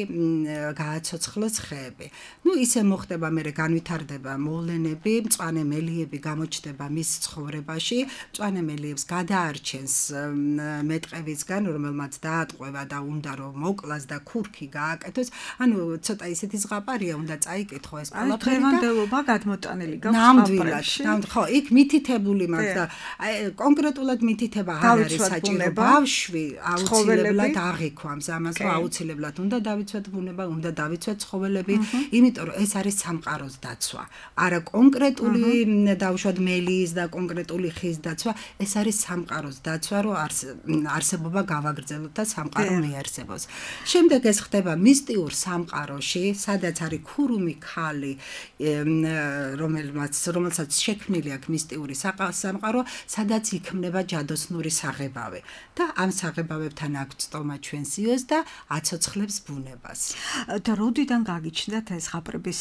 გააცოცხლოს ხეები. ნუ ისე მოხდება, მერე განვითარდება მოვლენები, მწვანე მელიები გამოჩნდება მის ცხოვრებაში, მწვანე მელიებს გადაარჩენს მეტყევისგან, რომელმაც დაატყვევა და უნდა რომ მოკლას და ქურქი გააკეთოს. ანუ ცოტა ისეთი ზღაპარია, უნდა წაიკითხო ეს ყველაფერი. დღევანდელობა გადმოტანილი გაქვს ნამდვილად. ხო, იქ მითითებული მაქვს და კონკრეტულად მითითება არ არის საჭირო. ბავშვი აუცილებლად აღიქვამს ამას, რომ აუცილებლად უნდა დავიცვათ ბუნება, უნდა დავიცვათ ცხოველები, იმიტომ რომ ეს არის სამყაროს დაცვა. არა კონკრეტული დავუშვათ მელიის და კონკრეტული ხის დაცვა, ეს არის სამყაროს დაცვა, რომ არსებობა გავაგრძელოთ და სამყარო მიარსებოს. შემდეგ ეს ხდება მისტიურ სამყაროში, სადაც არის ქურუმი ქალი, რომელსაც შექმნილი აქვს მისტიური სამყარო, სადაც იქმნება ჯადოსნური საღებავი. და ამ საღებავებთან აქვს წტომა ჩვენს იოს და აცოცხლებს ბუნებას. და როდიდან გაგიჩნდათ ეს ზღაპრების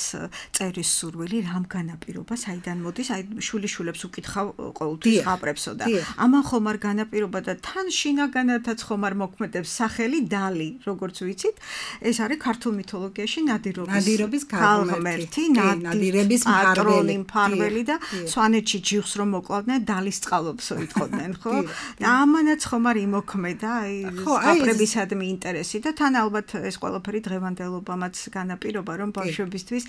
წერის სურვილი, რამ განაპირობა, საიდან მოდის? აი შვილიშვილებს უკითხავ ყოველთვის ზღაპრებსო და ამან ხომ არ განაპირობა და თან შინაგანათაც ხომ არ მოქმედებს სახელი დალი, როგორც ვიცით, ეს არის ქართულ მითოლოგიაში ნადირობის ქალღმერთი, ნადირების მფარველი და სვანეთში ჯიხს რომ მოკლავდნენ, დალის წყალობსო იტყოდნენ, ხო? და ამანაც ხომ არ იმოქმედა აი ზღაპრებისადმი ინტერესი და თან ალბათ ეს ყველაფერი დღევანდელობამაც განაპირობა, რომ ბავშვებისთვის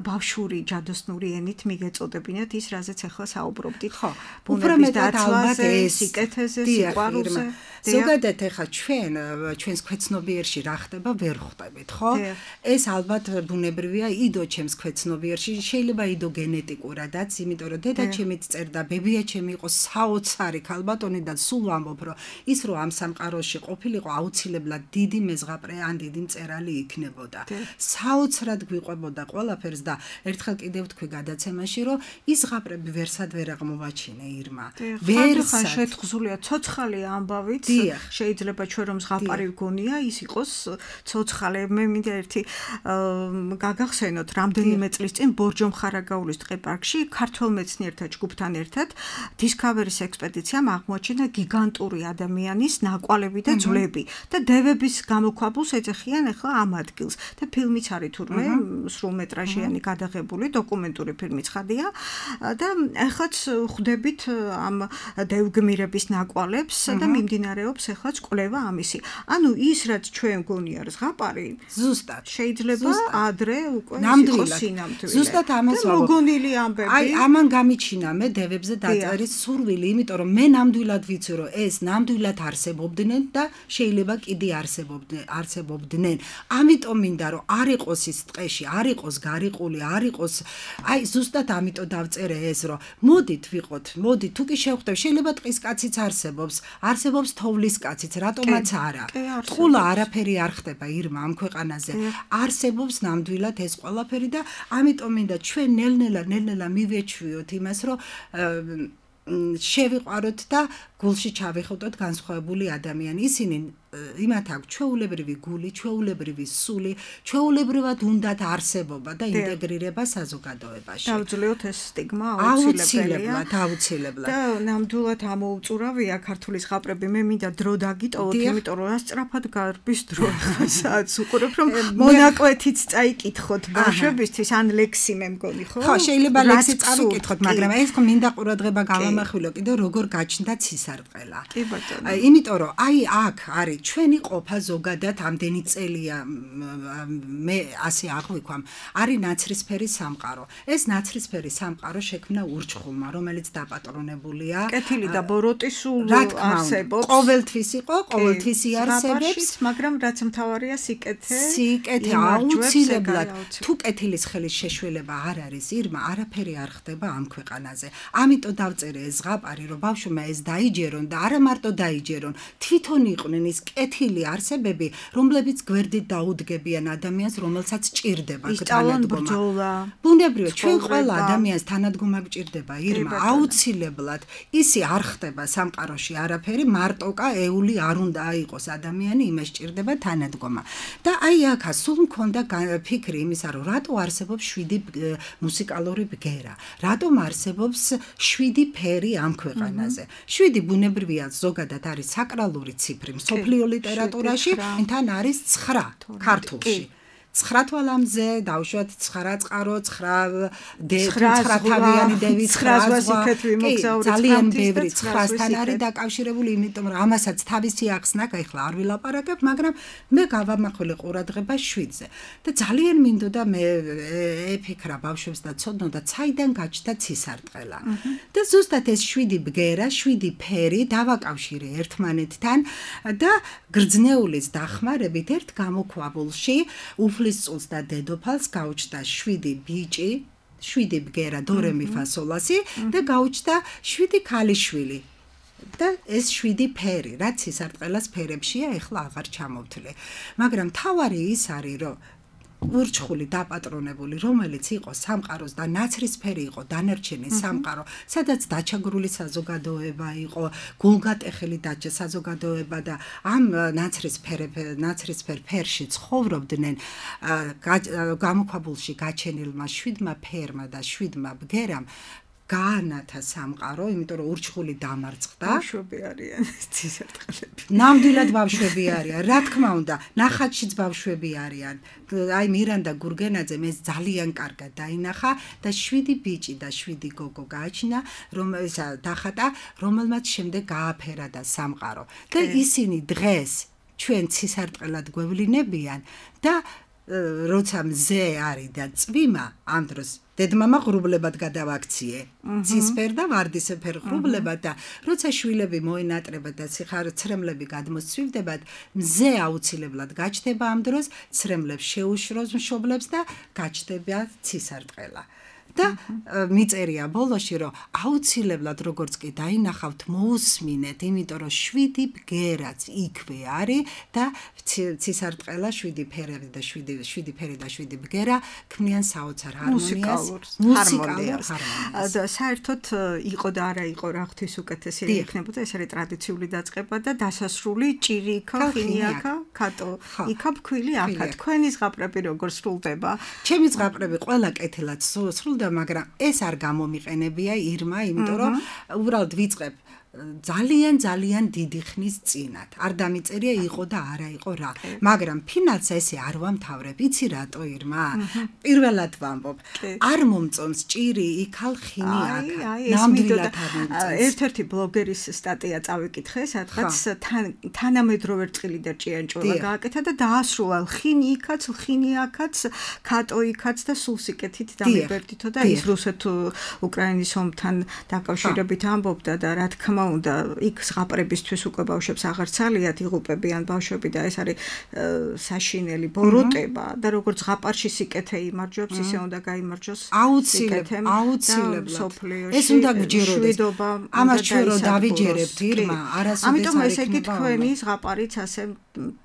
ბავშვური ჯადოსნური ენით მიგეწოდებინათ ის, რაზეც ახლა საუბრობდით, ხო? ბუნების დაცვაზე, სიკეთეზე, სიყვარულზე. ზოგადად ახლა ჩვენს ქვეცნობიერში რა ხდება, ვერ ხვდებით, ხო? ეს ალბათ ბუნებრივია იდო ჩემს ქვეცნობიერში, შეიძლება იდო გენეტიკურადაც, იმიტომ რომ დედა ჩემიც წერდა, ბებია ჩემი იყო საოცარი ქალბატონი და სულ ვამბობ, რომ ის რომ ამ სამყაროში ყოფილიყო, აუცილებლად დიდი მეზღაპრე ან დიდი მწერალი იქნებოდა. საოცრად გვიყვებოდა ყველაფერს და ერთხელ კიდევ თქვი გადაცემაში, რომ ის ზღაპრები ვერსად ვერ აღმოვაჩინე ირმა. ვერსად შეთხზულია ცოცხალი ამბავით, შეიძლება ჩვენ რომ ზღაპარი ვგონია, ის იყოს ცოცხალი. მე მინდა ერთი გაგახსენოთ, რამდენიმე წლის წინ ბორჯომ ხარაგაულის ტყეპარკში ქართველ მეცნიერთა ჯგუფთან ერთად დისკავერის ექსპედიციამ აღმოაჩინა გიგანტური ადამიანის ნაკვალები და ძვლები და დევების გამოქვაბულს ეძახიან ახლა ამ ადგილს და ფილმიც არის თურმე სრულმეტრაჟიანი გადაღებული დოკუმენტური ფილმი ცხადია და ახლაც ხვდებით ამ დევგმირების ნაკვალებს და მიმდინარეობს ახლაც კვლევა ამისი. ანუ ის რაც ჩვენ გონია ზღაპარი ზუსტად შეიძლება ადრე უკვე ნამდვილად სინამდვილე. ზუსტად ამას ვამბობ. მოგონილი ამბები. აი ამან გამიჩინა მე დევებზე დაწერის სურვილი, იმიტომ რომ მე ნამდვილად ვიცი რომ ეს ნამდვილად არსებობდნენ და შეიძლება კიდე არსებობდნენ. ამიტომ მინდა რომ არ იყოს ის ტყეში, არ იყოს გარიყული, არ იყოს აი ზუსტად ამიტომ დავწერე ეს რომ მოდით ვიყოთ, მოდით თუ კი შევხვდებ, შეიძლება ტყის კაციც არსებობს თოვლის კაციც, რატომაც არა. ტყულა არაფერი არ ხდება ირმა ამ ქვეყანაზე. არსებობს ნამდვილად ეს ყველაფერი და ამიტომ მინდა ჩვენ ნელ-ნელა მივეჩვიოთ იმას, რომ შევიყვაროთ და გულში ჩავიხუტოთ განსხვავებული ადამიანი. ისინი იმათ აქვს ჩვეულებრივი გული, ჩვეულებრივი სული, ჩვეულებრივად უნდათ არსებობა და ინტეგრირება საზოგადოებაში. დავძლევთ ეს სტიგმა აუცილებლად. და ნამდვილად ამოუწურავია ქართული ზღაპრები. მე მინდა დრო დაგიტოვოთ, იმიტომ რომ რა სწრაფად გარბის დრო საათს უყურებ, რომ მონაკვეთიც წაიკითხოთ ბავშვებისთვის, ან ლექსი მე მგონი, ხო? ხო, შეიძლება ლექსი წავიკითხოთ, მაგრამ ეს მინდა ყურადღება გავამახვილო კიდე როგორ გაჩნდა ცისარტყელა. კი ბატონო. იმიტომ რომ აი აქ არის ჩვენი ყოფა ზოგადად ამდენი წელია მე ასე აღვიქვამ, არის ნაცრისფერი სამყარო. ეს ნაცრისფერი სამყარო შექმნა ურჩხულმა, რომელიც დაპატრონებულია. კეთილი და ბოროტი სულ არსებობს. ყოველთვის იყო, ყოველთვის იარსებებს, მაგრამ რაც მთავარია სიკეთე აუცილებლად. თუ კეთილის ხელის შეშველება არ არის ირმა, არაფერი არ ხდება ამ ქვეყანაზე. ამიტომ დავწერე ეს ზღაპარი, რომ ბავშვმა ეს დაიჯერონ და არა მარტო დაიჯერონ, თვითონ იყვნენ ის კეთილი არსებები, რომლებიც გვერდით დაუდგებიან ადამიანს, რომელსაც ჭირდება თანადგომა. ბუნებრივია, ჩვენ ყველა ადამიანს თანადგომა გჭირდება, ირმა, აუცილებლად. ისი არ ხდება სამყაროში არაფერი, მარტოკა ეული არ უნდა იყოს ადამიანი, იმას ჭირდება თანადგომა. და აი აქა სულ მქონდა ფიქრი იმისა, რომ რატო არსებობს 7 მუსიკალური ბგერა, რატომ არსებობს 7 ფერი ამ ქვეყანაზე. 7 ბუნებრივია ზოგადად არის საკრალური ციფრი მსოფლიო ლიტერატურაში, თან არის 9 ქართულში. 9 თვალამზე დავუშვათ 9 წყარო, 9 თავიანი დევი, 9 ვასიკეთ ვიმოგზაურეთ. ძალიან ბევრი 9-სთან არის დაკავშირებული, იმიტომ რომ ამასაც თავისი ახსნა, ახლა არ ვილაპარაკებ, მაგრამ მე გავამახვილე ყურადღება 7-ზე. და ძალიან მინდოდა მე ეფიქრა ბავშვებს და ცოდნოდა, საიდან გაჩნდა ცისარტყელა. და ზუსტად ეს 7 ბგერა, 7 ფერი დავაკავშირე ერთმანეთთან და გრძნეულის დახმარებით ერთ გამოქვაბულში უფლისწულს და დედოფალს გაუჩნდა 7 ბიჭი, 7 ბგერა დორე მი ფა სოლ ლა სი და გაუჩნდა 7 ქალიშვილი. და ეს 7 ფერი, რაც სისარტყელას ფერებშია, ეხლა აღარ ჩამოვთვლე. მაგრამ თავარი ის არის, რომ ურჩხული დაპატრონებული, რომელიც იყო სამყაროს და ნაცრისფერი იყო დანარჩენი სამყარო, სადაც დაჩაგრული საზოგადოება იყო, გულგატეხილი საზოგადოება და ამ ნაცრისფერ ფერში ცხოვრობდნენ გამოქვაბულში გაჩენილმა 7 ფერმა და 7 ბგერამ გაანათა სამყარო, იმიტომ რომ ურჩხული დამარცხდა. ბავშვები არიან ცისარტყელები. ნამდვილად ბავშვები არიან. რა თქმა უნდა, ნახატშიც ბავშვები არიან. აი მირანდა გურგენაძემ ეს ძალიან კარგად დაინახა და 7 ბიჭი და 7 გოგო გააჩინა, დახატა, რომელმაც შემდეგ გააფერა და სამყარო. და ისინი დღეს ჩვენ ცისარტყელად გვევლინებიან და როცა მზე არის და წვიმა ამ დროს დედმამა ღრუბლებად გადავაქციე. ცისფერ და ვარდისფერ ღრუბლებად და როცა შვილები მოენატრებათ და ცრემლები გადმოსცვივდებათ, მზე აუცილებლად გაჩნდება ამ დროს, ცრემლებს შეუშროს მშობლებს და გაჩნდება ცისარტყელა. და მიწერია ბოლოში, რომ აუცილებლად როგორც კი დაინახავთ, მოусმინეთ, იმიტომ რომ 7 ბგერაც იქვე არის და ცისარტყელა 7 ფერი და 7 ბგერა ქმნიან საოცარ ჰარმონიას, მუსიკალურ ჰარმონიას. და საერთოდ იყო და არა იყო რა ღვთის უკეთესი იქნებოდა, ეს არის ტრადიციული დაწყება და დასასრული ჭირი იქა, ხინი აქა, კატო იქა, ფქვილი აქა. თქვენი ზღაპრები როგორ სრულდება? ჩემი ზღაპრები ყველა კეთილად სრულდება, მაგრამ ეს არ გამომიყენებია ირმა, იმიტომ რომ უბრალოდ ვიწყებ ძალიან დიდი ხნის წინათ. არ დამიწერია იყო და არა იყო რა. მაგრამ ფინალს ესე არ ვამთავრებ. იცი რატო ირმა? პირველად ვამბობ. არ მომწონს ჭირი, იქალ ხინი აქა. ნამდვილად არ მომწონს. ერთ-ერთი ბლოგერის სტატია წავიკითხე, სადღაც თანამედროვე რწყილი და ჭიანჭველა გააკეთა და დაასრულა ხინი იქაც, ხინი აქაც, კატო იქაც და სულ სიკეთით დამიბერდითო და ის რუსეთ-უკრაინის ომთან დაკავშირებით ამბობდა და რა თქმა უნდა იქ ზღაპრებისთვის უკვე ბავშვებს აღარ ცალიათ იღუპებიან ბავშვები და ეს არის საშინელი ბოროტება და როგორც ზღაპარში სიკეთე იმარჯვებს ისე უნდა გაიმარჯვოს აუცილებლად ეს უნდა გჯეროდეს ამას ჩვენ რომ დავიჯერებთ ირმა არასოდეს ამიტომ ესე იგი თქვენი ზღაპარიც ასე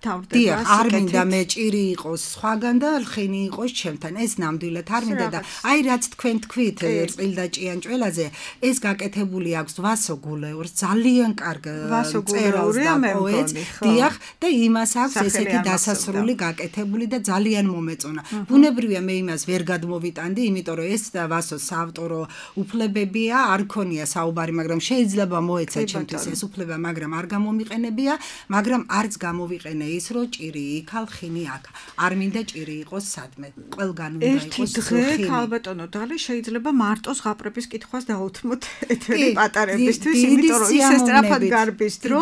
თავდება არ მინდა მე ჭირი იყოს სხვაგან და ხინი იყოს ჩემთან ეს ნამდვილად არ მინდა და აი რაც თქვენ თქვით რწყილ და ჭიანჭველაზე ეს გაკეთებული აქვს ვასო გულეურს ძალიან კარგ წერას და პოეტს დიახ და იმას აქვს ესეთი დასასრული გაკეთებული და ძალიან მომეწონა ბუნებრივია მე იმას ვერ გადმოვიტანდი იმიტომ რომ ეს ვასოს საავტორო უფლებებია არ ქონია საუბარი მაგრამ შეიძლება მოეცა ჩემთვის ეს უფლება მაგრამ არ გამომიყენებია მაგრამ არც გამოვიყენე ის რომ ჭირი იქალ ხინი აქ არ მინდა ჭირი იყოს სადმე ყველგან უნდა იყოს ხინი ქალბატონო დალი შეიძლება მარტო ზღაპრების კითხვას დაუთმოთ ეთერი პატარებისთვის იმიტომ რომ ისე სწრაფად გარბის დრო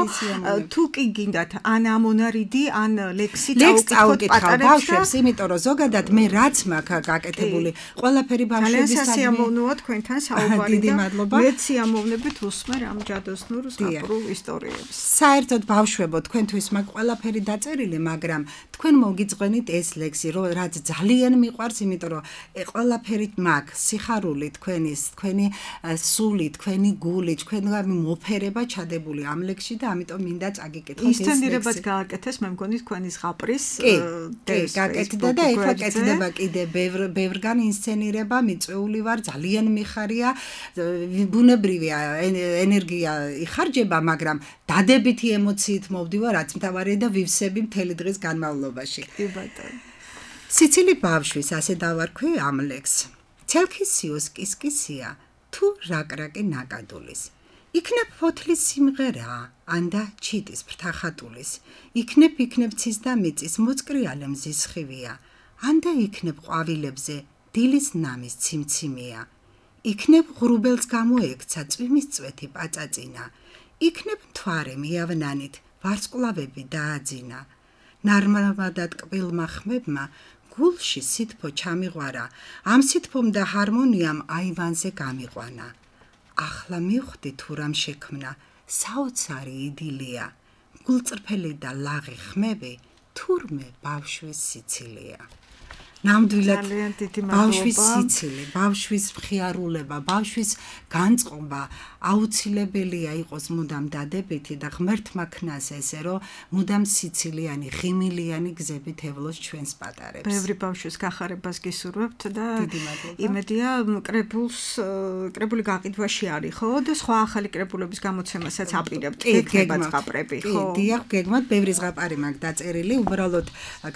თუ კი გინდათ ან ამონარიდი ან ლექსი წავუკითხოთ ბავშვებს იმიტომ რომ ზოგადად მე რაც მაქვს გაკეთებული ყველაფერი ბავშვების ძალიან სიამოვნოა თქვენთან საუბარი და მეც სიამოვნებით უსმენ ამ ჯადოსნურ ზღაპრულ ისტორიებს საერთოდ ბავშვებო თქვენთვის მაქვს ყველაფერი დაწერილი მაგრამ თქვენ მოგიძღვენით ეს ლექსი რომ რაც ძალიან მიყვარს იმიტომ რომ ყველაფერი მაქვს სიხარული თქვენი სული თქვენი გული თქვენი მოფერება ჩადებული ამ ლექსში და ამიტომ მინდა წაგიკითხოთ ეს ლექსი. ინსცენირებაც გააკეთეს, მე მგონი თქვენი ზღაპრის გაკეთდა და ეხლა კეთდება კიდე ბევრგან ინსცენირება, მიწვეული ვარ, ძალიან მიხარია, ბუნებრივია ენერგია იხარჯება, მაგრამ დადებითი ემოციით მოვდივარ, რაც მთავარია და ვივსები მთელი დღის განმავლობაში. კი ბატონო. სიცილი ბავშვის ასე დავარქვი ამ ლექსს. ცელქისიოს კისკისია თუ რაკრაკი ნაკადულის. იქნებ ფოთლის სიმღერა, ანდა ჩიტის ფრთახატულის. იქნებ ცის და მიწის მოწკრიალე მზის ხივია. ანდა იქნებ ყვავილებზე დილის ნამის ციმციმია. იქნებ ღრუბელს გამოექცა წვიმის წვეთი პაწაწინა. იქნებ მთვარე მიავნანით ვარსკვლავები დააძინა. ნარმადად კბილმა ხმებმა გულში სითფო ჩამიღვარა. ამ სითფომ და ჰარმონიამ აივანზე გამიყვანა. ახლა მივხვდი თუ რამ შექმნა საოცარი იდილია გულწრფელი და ლაღი ხმები თურმე ბავშვის სიცილია ნამდვილად ძალიან დიდი მადლობა. ბავშვის სიცილი, ბავშვის მხიარულება, ბავშვის განწყობა აუცილებელია იყოს მუდამ დადებითი და ღმერთმა ქნას ესე, რომ მუდამ სიცილიანი, ღიმილიანი გზებით ევლოს ჩვენს პატარებს. ბევრი ბავშვის გახარებას გისურვებთ და დიდი მადლობა. იმედია კრებული გაყიდვაში არის, ხო? და სხვა ახალი კრებულების გამოცემასაც აპირებთ. იქნება ზღაპრები, ხო? დიახ, გეგმავთ, ბევრი ზღაპარი მაქვს დაწერილი, უბრალოდ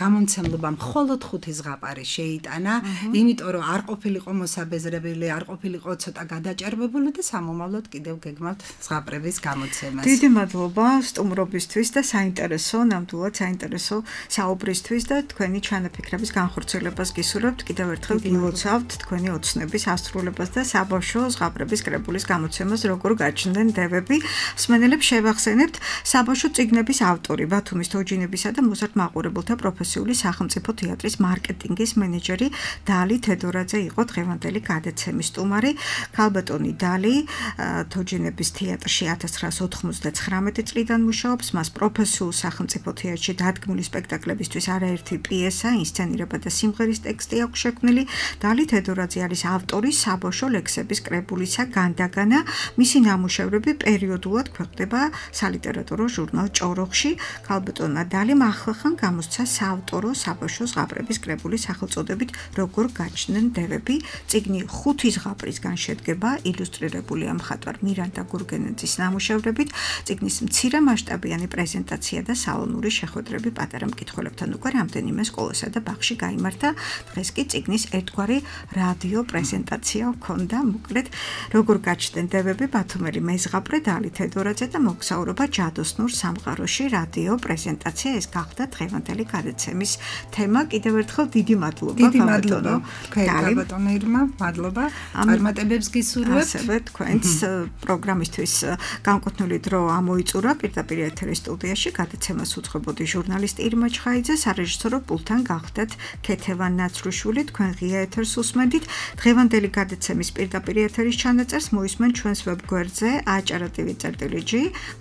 გამომცემლობა მხოლოდ 5 ზღაპარი შეიტანა, იმიტომ რომ არ ყოფილიყო მოსაბეზრებელი, არ ყოფილიყო ცოტა გადაჭარბებული და სამომავლოდ კიდევ გეგმავთ ზღაპრების გამოცემას. დიდი მადლობა სტუმრობისთვის და ნამდვილად საინტერესო საუბრისთვის და თქვენი ჩანაფიქრების განხორციელებას გისურვებთ. კიდევ ერთხელ გილოცავთ თქვენი ოცნების ასრულებას და საბავშვო ზღაპრების კრებულის გამოცემას როგორ გაჩნდნენ დევები. მსმენელებს შევახსენებთ, საბავშვო წიგნების ავტორი, ბათუმის თოჯინებისა და მოზარდ მაყურებელთა პროფესიული სახელმწიფო თეატრის მარკეტინგის მენეჯერი დალი თედორაძე იყო დღევანდელი გადაცემის სტუმარი. ქალბატონი დალი თოჯინების თეატრში 1999 წლიდან მუშაობს, მას პროფესიულ სახელმწიფო თეატრში დადგმული სპექტაკლებისთვის არაერთი პიესა, ინსცენირება და სიმღერის ტექსტი აქვს შექმნილი. დალი თედორაძე არის ავტორი საბავშვო ლექსების კრებულისა განდაგანა. მისი ნამუშევრები პერიოდულად ქვეყნდება სალიტერატურო ჟურნალ ჭოროხში. ქალბატონმა დალიმ ახლახან გამოსცა საავტორო საბავშვო ზღაპრების კრებული სახელწოდებით როგორ გაჩნდნენ დევები. წიგნი 5 ზღაპრისგან შედგება, ილუსტრირებულია მხატვარ მირანდა გურგენეძის ნამუშევრებით. წიგნის მცირე მასშტაბიანი პრეზენტაცია და სალონური შეხვედრები პატარა მკითხველებთან უკვე რამდენიმე სკოლასა და ბაღში გაიმართა. დღეს კი წიგნის ერთგვარი რადიო პრეზენტაცია ჰქონდა. მოკლედ, როგორ გაჩნდნენ დევები, ბათუმელი მეზღაპრე დალი თედორაძე და მოგზაურობა ჯადოსნურ სამყაროში რადიო პრეზენტაცია. ეს გახდა დღევანდელი გადაცემის თემა. კიდევ ერთხელ დიდი მადლობა. დიდი მადლობა. ქალბატონო ირმა, მადლობა. წარმატებებს გისურვებთ. ასევე თქვენს პროგრამისთვის განკუთვნილი დრო ამოიწურა პირდაპირ ეთერის სტუდიაში. გადაცემას უძღვებოდი ჟურნალისტი ირმა ჩხაიძე, სარეჟისორო პულტთან გახდათ ქეთევან ნაცრუშვილი. თქვენ ღია ეთერს უსმენთ. დღევანდელი გადაცემის პირდაპირ ეთერის ჩანაწერს მოისმენ ჩვენს ვებგვერდზე acara.tv.g.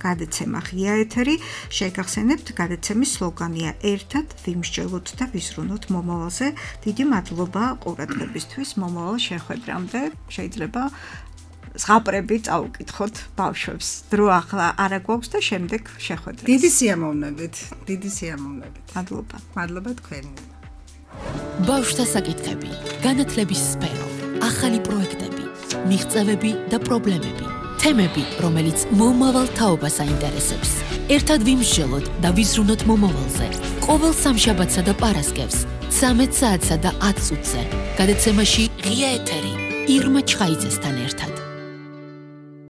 გადაცემა ღია ეთერი. შეგახსენებთ, გადაცემის სლოგანია ერთად ვიმსჯელოთ და ვიზრუნოთ მომავალზე. დიდი მადლობა ყურადღებისთვის. მომავალ შეხვედრამდე შეიძლება ზღაპრები წაუკითხოთ ბავშვებს. დრო ახლა არა გვაქვს და შემდეგ შეხვედრას. დიდი სიამოვნებით. მადლობა. მადლობა თქვენ. ბავშვთა საკითხები, განათლების სფერო, ახალი პროექტები, მიღწევები და პრობლემები, თემები, რომელიც მომავალ თაობას აინტერესებს. ერთად ვიმსჯელოთ და ვიზრუნოთ მომავალზე. ყოველ სამშაბათსა და პარასკევს 13 საათსა და 10 წუთზე. გადაცემაში ღია ეთერი ირმა ჩხაიძესთან ერთად.